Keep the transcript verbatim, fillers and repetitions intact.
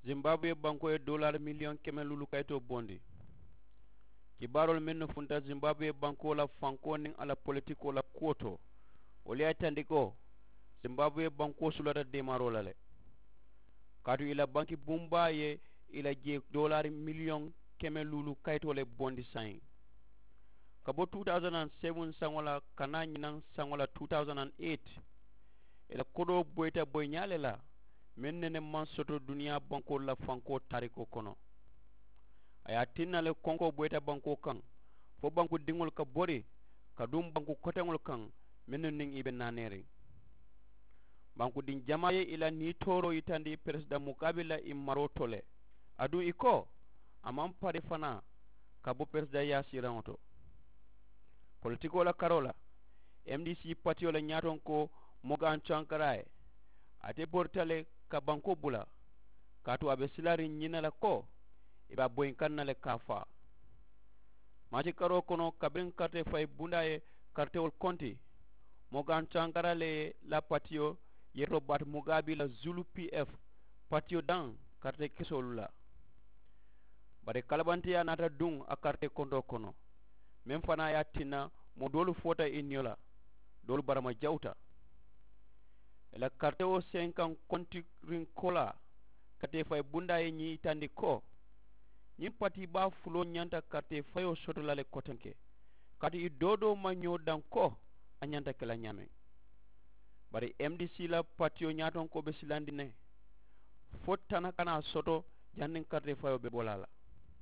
Zimbabwe bankoo ye doolaari miliyoŋ keme luulu kayitoo bondi. Kibaaroolu mennu funta zimbabwe bankoo la fankoo niŋ a la politikoo la kuwo to, wolu ye a yitandi ko zimbabwe bankoo sulata deemaaroo la le. Kaatu i la banki bumbaa ye i la jee doolaari miliyoŋ keme luulu kayitoo le bondi saayiŋ. Ka bo two thousand and seven saŋo la ka naa ñinaŋ saŋo la two thousand and eight, i la kodoo boyita boyiñaa le la meŋ nene maŋ soto duniyaa bankoolu la fankoo taarikoo kono. A ye a tinna le konkoo boyita bankoo kaŋ fo banku diŋolu ka bori ka duŋ banku koteŋolu kaŋ mennu niŋ i be naaneeriŋ. Bankudiŋ jamaa ye i la niitooroo yitandi peresidaŋ mukaabi la i maroo to le. Aduŋ i ko a maŋ pari fanaa ka bo peresidaŋ yaasiiraŋo to. Politikoo la karoo la, m d c patiyo la ñaatonkoo mogan cankara ye ate borita le ka bankoo bula. Kaatu a be silaariŋ ñiŋ ne la ko i be a boyinkaŋ na le ka a faa. Maati karoo kono kabiriŋ karite fayi bundaa ye karitewolu konti, mogan cankara le ye la patiyo ye robaati mugaabi la zulu p f patiyo daŋ karite kesoolu la. Bari kalabanteyaa naata duŋ a karite kontoo kono meŋ fanaa ye a tinna moo doolu foota i niyo la, doolu barama jawuta. I la karite wo senkaŋ kontiriŋ koolaa karite fayi bundaa ye ñiŋ yitandi ko ñiŋ patii baa fuloo ñanta karite fayoo soto la le kotenke. Kaatu i doo doo maŋ ñoo daŋ ko a ñanta ke la ñaameŋ. Bari m d c la patiyo ñaatonkoo be silandiŋ ne fo tana kana a soto janniŋ karite fayoo be bo la a la.